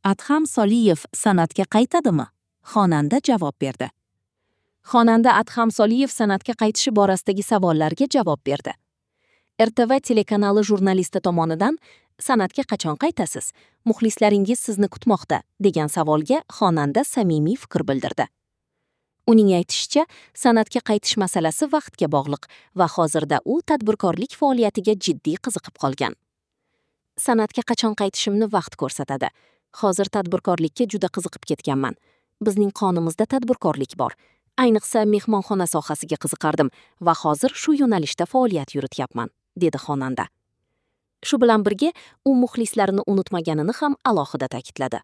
Adham Soliyev san'atga qaytadimi? Xonanda javob berdi. Xonanda Adham Soliyev san'atga qaytishi borasidagi savollarga javob berdi. RTV telekanali jurnalisti tomonidan "San'atga qachon qaytasiz? Muxlislaringiz sizni kutmoqda" degan savolga xonanda samimiy fikr bildirdi. Uning aytishicha, san'atga qaytish masalasi vaqtga bog'liq va hozirda u tadbirkorlik faoliyatiga jiddiy qiziqib qolgan. San'atga qachon qaytishimni vaqt ko'rsatadi. Hozir tadbirkorlikka juda qiziqib ketganman. Bizning qonimizda tadbirkorlik bor. Ayniqsa mehmonxona sohasiga qiziqardim va hozir shu yo'nalishda faoliyat yurityapman, dedi xonanda. Shu bilan birga u muxlislarini unutmaganini ham alohida ta'kidladi.